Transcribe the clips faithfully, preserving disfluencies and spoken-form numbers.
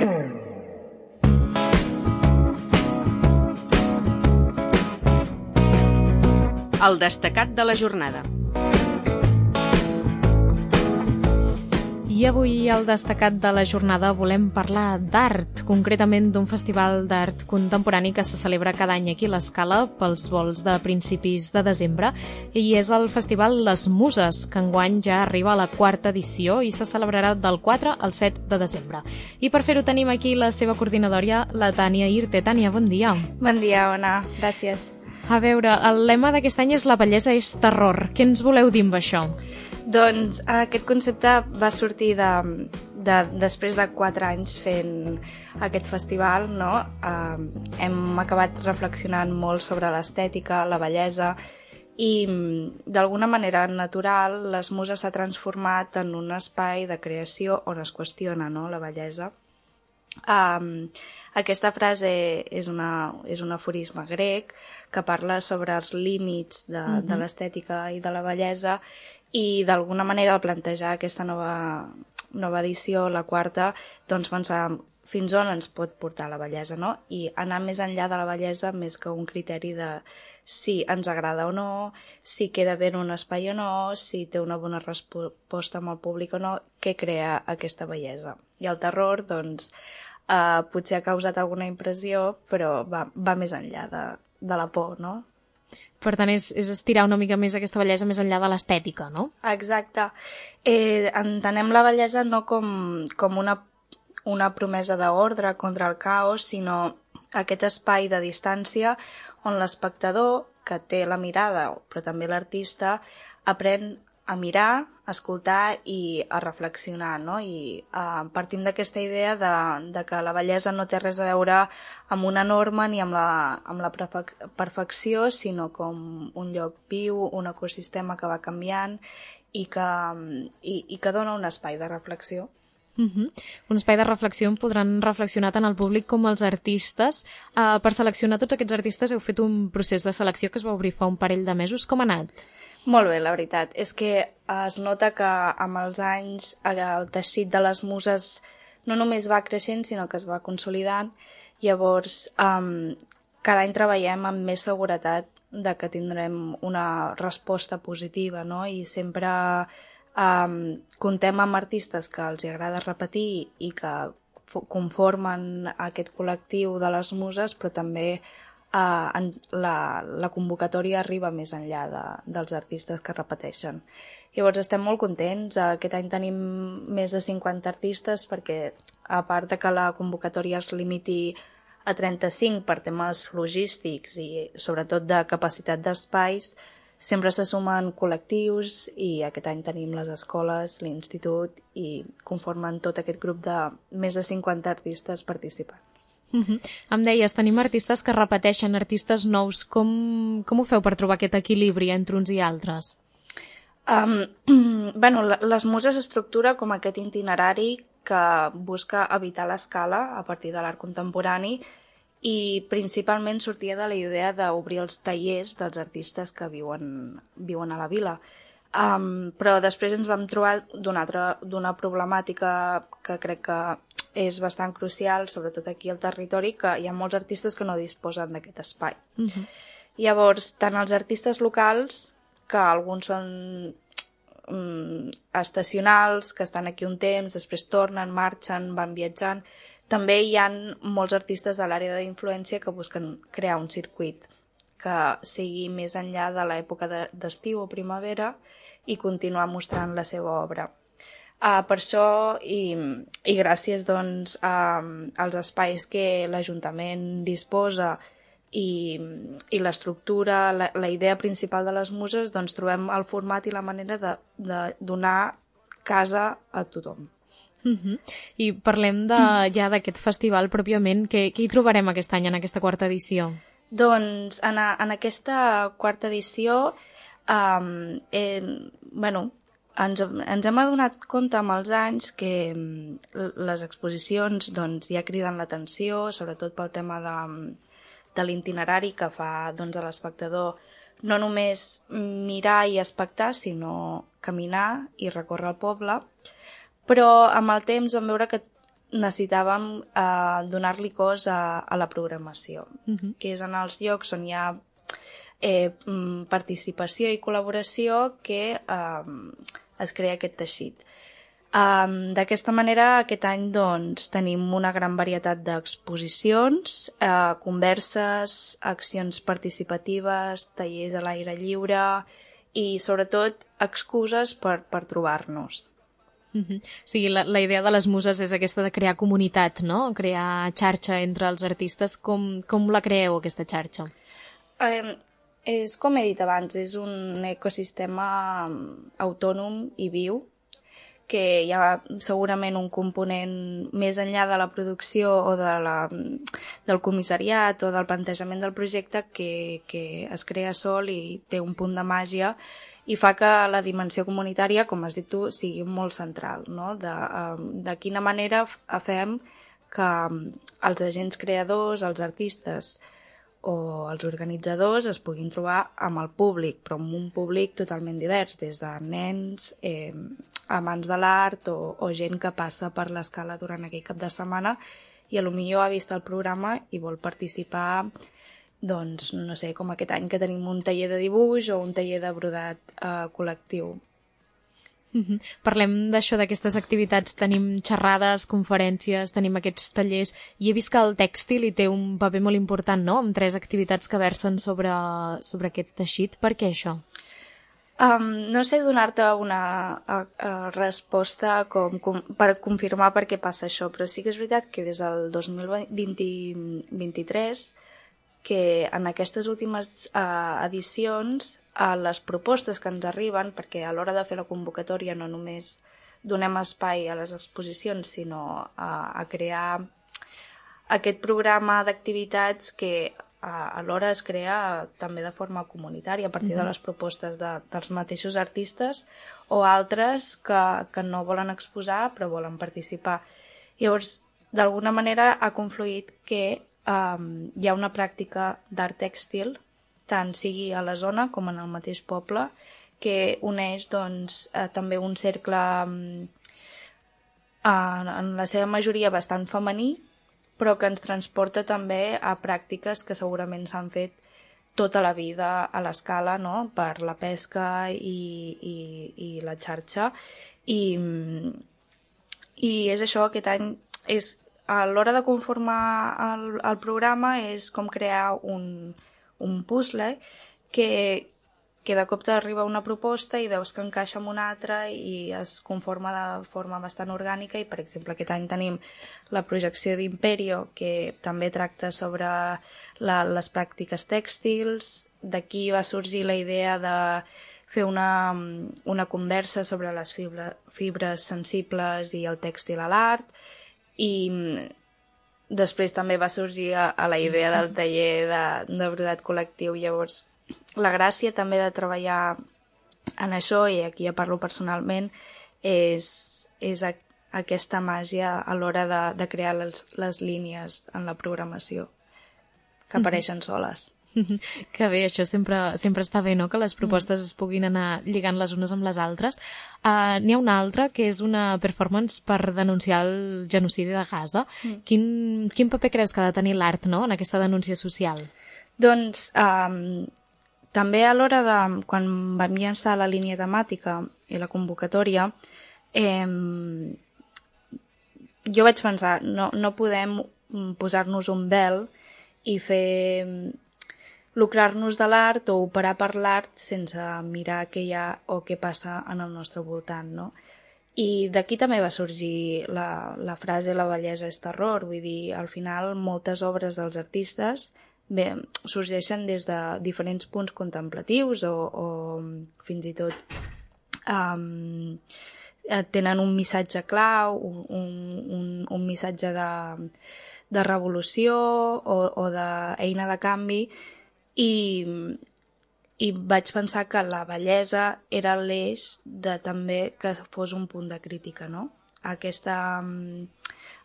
El destacat de la jornada. I avui al destacat de la jornada volem parlar d'art, concretament d'un festival d'art contemporani que se celebra cada any aquí a l'Escala pels vols de principis de desembre, i és el festival Les Muses, que enguany ja arriba a la quarta edició i se celebrarà del quatre al set de desembre. I per fer-ho tenim aquí la seva coordinadora, la Tània Irte. Tània, bon dia. Bon dia, Ona. Gràcies. A veure, el lema d'aquest any és La bellesa és terror. Què ens voleu dir amb això? Doncs aquest concepte va sortir de, de, després de quatre anys fent aquest festival, no? Uh, hem acabat reflexionant molt sobre l'estètica, la bellesa, i d'alguna manera natural Les Muses s'ha transformat en un espai de creació on es qüestiona, no?, la bellesa. Um, aquesta frase és, una, és un aforisme grec que parla sobre els límits de, mm-hmm. de l'estètica i de la bellesa, i d'alguna manera al plantejar aquesta nova, nova edició, la quarta, doncs pensar fins on ens pot portar la bellesa, no? I anar més enllà de la bellesa més que un criteri de si ens agrada o no, si queda bé en un espai o no, si té una bona resposta amb el públic o no, què crea aquesta bellesa. I el terror, doncs, eh, potser ha causat alguna impressió, però va, va més enllà de, de la por, no? Per tant, és, és estirar una mica més aquesta bellesa més enllà de l'estètica, no? Exacte. Eh, entenem la bellesa no com, com una, una promesa d'ordre contra el caos, sinó aquest espai de distància on l'espectador, que té la mirada, però també l'artista, aprèn a mirar, a escoltar i a reflexionar, no? I uh, partim d'aquesta idea de, de que la bellesa no té res a veure amb una norma ni amb la, amb la perfecció, sinó com un lloc viu, un ecosistema que va canviant i que, i, i que dona un espai de reflexió. Uh-huh. Un espai de reflexió on podran reflexionar tant el públic com els artistes. Uh, per seleccionar tots aquests artistes heu fet un procés de selecció que es va obrir fa un parell de mesos. Com ha anat? Molt bé, la veritat. És que es nota que amb els anys el teixit de les muses no només va creixent, sinó que es va consolidant. Llavors, um, cada any treballem amb més seguretat de que tindrem una resposta positiva, no? I sempre um, comptem amb artistes que els agrada repetir i que conformen aquest col·lectiu de les muses, però també Uh, en, la, la convocatòria arriba més enllà de, dels artistes que repeteixen. Llavors estem molt contents. Aquest any tenim més de cinquanta artistes perquè, a part de que la convocatòria es limiti a trenta-cinc per temes logístics i sobretot de capacitat d'espais, sempre se sumen col·lectius i aquest any tenim les escoles, l'institut i conformen tot aquest grup de més de cinquanta artistes participant. Uh-huh. Em deies, tenim artistes que repeteixen, artistes nous. Com, com ho feu per trobar aquest equilibri entre uns i altres? Um, bueno, les muses estructura com aquest itinerari que busca evitar l'escala a partir de l'art contemporani i principalment sortia de la idea d'obrir els tallers dels artistes que viuen, viuen a la vila. Um, però després ens vam trobar d'una altra, d'una problemàtica que crec que és bastant crucial, sobretot aquí al territori, que hi ha molts artistes que no disposen d'aquest espai. Uh-huh. Llavors, tant els artistes locals, que alguns són um, estacionals, que estan aquí un temps, després tornen, marxen, van viatjant, també hi ha molts artistes a l'àrea d'influència que busquen crear un circuit que sigui més enllà de l'època d'estiu o primavera i continuar mostrant la seva obra. Uh, per això, i, i gràcies doncs, a, als espais que l'Ajuntament disposa i, i l'estructura, la, la idea principal de les muses, doncs trobem el format i la manera de, de donar casa a tothom. Uh-huh. I parlem de, ja d'aquest festival pròpiament. Què, què hi trobarem aquest any en aquesta quarta edició? Doncs en, a, en aquesta quarta edició um, eh, bueno, Ens, ens hem adonat compte amb els anys que les exposicions doncs, ja criden l'atenció, sobretot pel tema de, de l'itinerari que fa doncs, a l'espectador no només mirar i espectar, sinó caminar i recórrer el poble. Però amb el temps vam veure que necessitàvem eh, donar-li cos a, a la programació, Uh-huh. que és en els llocs on hi ha eh, participació i col·laboració que eh, es crea aquest teixit. Um, D'aquesta manera, aquest any doncs, tenim una gran varietat d'exposicions, eh, converses, accions participatives, tallers a l'aire lliure i, sobretot, excuses per, per trobar-nos. Uh-huh. O sigui, la, la idea de les muses és aquesta de crear comunitat, no? Crear xarxa entre els artistes. Com, com la creeu, aquesta xarxa? Eh, és, com he dit abans, és un ecosistema autònom i viu, que hi ha segurament un component més enllà de la producció o de la, del comissariat o del plantejament del projecte que, que es crea sol i té un punt de màgia i fa que la dimensió comunitària, com has dit tu, sigui molt central, no? De, de quina manera fem que els agents creadors, els artistes o els organitzadors es puguin trobar amb el públic, però amb un públic totalment divers, des de nens, eh, amants de l'art o, o gent que passa per l'escala durant aquell cap de setmana i potser ha vist el programa i vol participar, doncs, no sé, com aquest any que tenim un taller de dibuix o un taller de brodat eh, col·lectiu. Uh-huh. Parlem d'això, d'aquestes activitats. Tenim xerrades, conferències, tenim aquests tallers, i he vist que el tèxtil hi té un paper molt important, no?, amb tres activitats que versen sobre, sobre aquest teixit. Per què això? Um, no sé donar-te una a, a resposta com, com, per confirmar per què passa això, però sí que és veritat que des del dos mil vint-i-tres, que en aquestes últimes uh, edicions, uh, les propostes que ens arriben, perquè a l'hora de fer la convocatòria no només donem espai a les exposicions, sinó a, a crear aquest programa d'activitats que alhora es crea també de forma comunitària a partir de les propostes de, dels mateixos artistes o altres que, que no volen exposar però volen participar. Llavors, d'alguna manera ha confluït que um, hi ha una pràctica d'art tèxtil, tant sigui a la zona com en el mateix poble, que uneix doncs, eh, també un cercle um, en, en la seva majoria bastant femení, però que ens transporta també a pràctiques que segurament s'han fet tota la vida a l'escala, no?, per la pesca i, i, i la xarxa. I, i és això, aquest any, és, a l'hora de conformar el, el programa és com crear un, un puzzle que, que de cop t'arriba una proposta i veus que encaixa amb una altra i es conforma de forma bastant orgànica i, per exemple, aquest any tenim la projecció d'Imperio, que també tracta sobre la, les pràctiques tèxtils. D'aquí va sorgir la idea de fer una, una conversa sobre les fibra, fibres sensibles i el tèxtil a l'art, i després també va sorgir a, a la idea del taller de, de brodat col·lectiu. Llavors, la gràcia també de treballar en això, i aquí ja parlo personalment, és, és a, aquesta màgia a l'hora de, de crear les, les línies en la programació, que apareixen soles. Que bé, això sempre, sempre està bé, no?, que les propostes es puguin anar lligant les unes amb les altres. Uh, N'hi ha una altra, que és una performance per denunciar el genocidi de Gaza. Mm. Quin, quin paper creus que ha de tenir l'art, no?, en aquesta denúncia social? Doncs um, també a l'hora de, quan vam llançar la línia temàtica i la convocatòria, eh, jo vaig pensar, no, no podem posar-nos un vel i fer lucrar-nos de l'art o operar per l'art sense mirar què hi ha o què passa en el nostre voltant, no? I d'aquí també va sorgir la, la frase «la bellesa és terror», vull dir, al final moltes obres dels artistes bé, sorgeixen des de diferents punts contemplatius o, o fins i tot um, tenen un missatge clau, un, un, un missatge de, de revolució o, o d'eina de canvi, i, i vaig pensar que la bellesa era l'eix de també que fos un punt de crítica, no? Aquesta,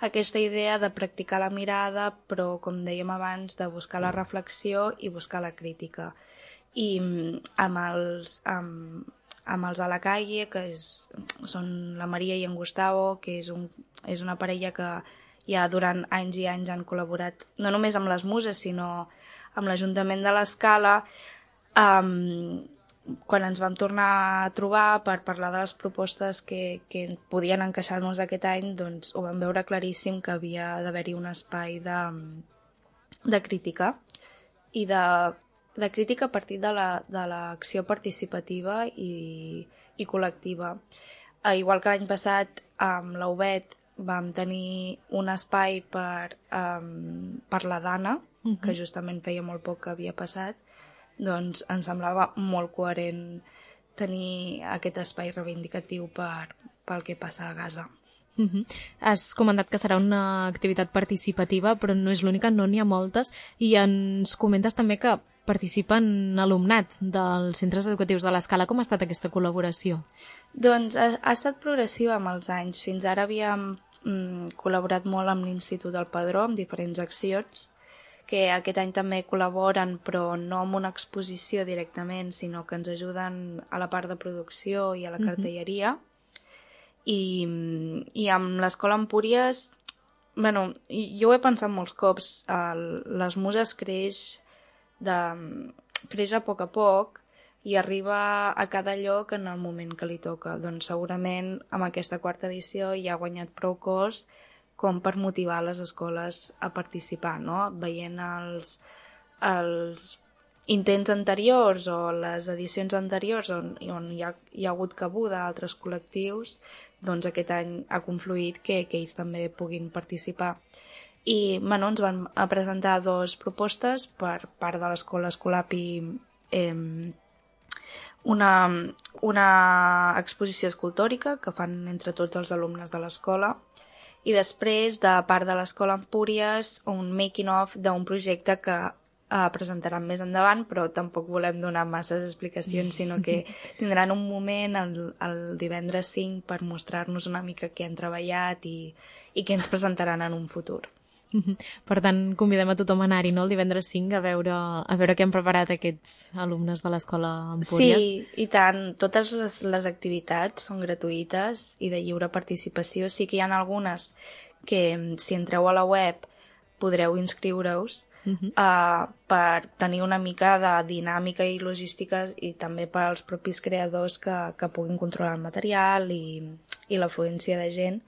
aquesta idea de practicar la mirada, però, com dèiem abans, de buscar la reflexió i buscar la crítica. I amb, els, amb, amb els a la calle, que és, són la Maria i en Gustavo, que és, un, és una parella que ja durant anys i anys han col·laborat, no només amb les Muses, sinó amb l'Ajuntament de l'Escala, um, quan ens vam tornar a trobar per parlar de les propostes que, que podien encaixar-nos aquest any, doncs ho vam veure claríssim que havia d'haver-hi un espai de, de crítica i de, de crítica a partir de l'acció la, participativa i, i col·lectiva. Eh, igual que l'any passat amb la U B E T vam tenir un espai per, um, per la Dana, uh-huh. que justament feia molt poc que havia passat, doncs ens semblava molt coherent tenir aquest espai reivindicatiu per, pel que passa a Gaza. Uh-huh. Has comentat que serà una activitat participativa, però no és l'única, no n'hi ha moltes, i ens comentes també que participen alumnat dels centres educatius de l'Escala. Com ha estat aquesta col·laboració? Doncs ha, ha estat progressiva amb els anys. Fins ara havíem mm, col·laborat molt amb l'Institut del Padró, amb diferents accions, que aquest any també col·laboren, però no amb una exposició directament, sinó que ens ajuden a la part de producció i a la cartelleria. Uh-huh. I, i amb l'Escola Empúries, bueno, jo ho he pensat molts cops, el, les Muses creix, de, creix a poc a poc i arriba a cada lloc en el moment que li toca. Doncs segurament amb aquesta quarta edició ja ha guanyat prou cos com per motivar les escoles a participar, no? Veient els, els intents anteriors o les edicions anteriors on, on hi, ha, hi ha hagut cabuda a altres col·lectius, doncs aquest any ha confluït que, que ells també puguin participar. I bueno, ens van a presentar dues propostes per part de l'Escola Escolapi, eh, una, una exposició escultòrica que fan entre tots els alumnes de l'escola, i després, de part de l'Escola Empúries, un making-of d'un projecte que eh, presentaran més endavant, però tampoc volem donar masses explicacions, sinó que tindran un moment el, el divendres cinc per mostrar-nos una mica què han treballat i, i què ens presentaran en un futur. Per tant, convidem a tothom a anar-hi, no?, el divendres cinc a veure, a veure què han preparat aquests alumnes de l'Escola Empúries. Sí, i tant. Totes les, les activitats són gratuïtes i de lliure participació. Sí que hi ha algunes que, si entreu a la web, podreu inscriure-us uh-huh. uh, per tenir una mica de dinàmica i logística i també per als propis creadors que, que puguin controlar el material i, i l'afluència de gent.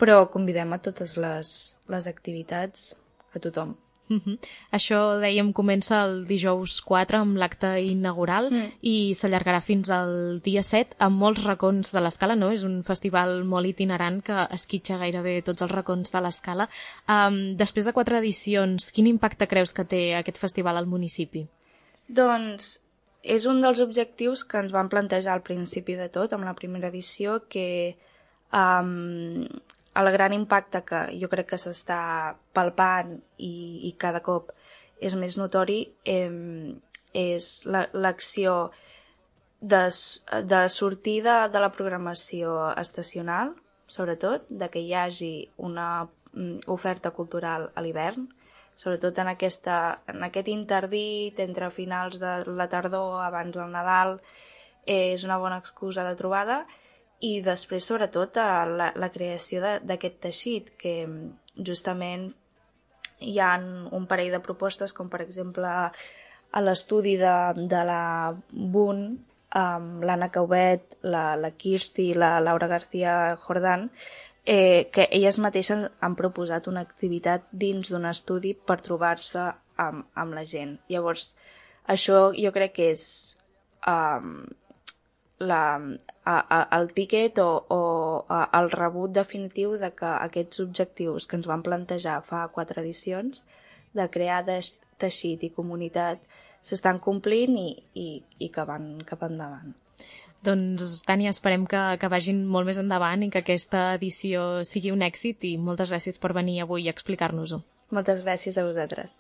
Però convidem a totes les, les activitats, a tothom. Uh-huh. Això, dèiem, comença el dijous quatre amb l'acte inaugural mm. i s'allargarà fins al dia set amb molts racons de l'Escala, no? És un festival molt itinerant que esquitxa gairebé tots els racons de l'Escala. Um, després de quatre edicions, quin impacte creus que té aquest festival al municipi? Doncs és un dels objectius que ens van plantejar al principi de tot, amb la primera edició, que um, el gran impacte que jo crec que s'està palpant i, i cada cop és més notori eh, és l'acció de, de sortida de la programació estacional, sobretot, de que hi hagi una oferta cultural a l'hivern, sobretot en, aquesta, en aquest interdit entre finals de la tardor, abans del Nadal, eh, és una bona excusa de trobada. I després, sobretot, la, la creació d'aquest teixit, que justament hi ha un parell de propostes, com per exemple a l'estudi de, de la B U N, amb l'Anna Caubet, la, la Kirsti i la Laura García Jordán, eh, que elles mateixes han proposat una activitat dins d'un estudi per trobar-se amb, amb la gent. Llavors, això jo crec que és... Um, La, a, a, el tíquet o, o a, el rebut definitiu de que aquests objectius que ens van plantejar fa quatre edicions de crear de, teixit i comunitat s'estan complint i, i, i que van cap endavant. Doncs, Tània, esperem que, que vagin molt més endavant i que aquesta edició sigui un èxit i moltes gràcies per venir avui a explicar-nos-ho. Moltes gràcies a vosaltres.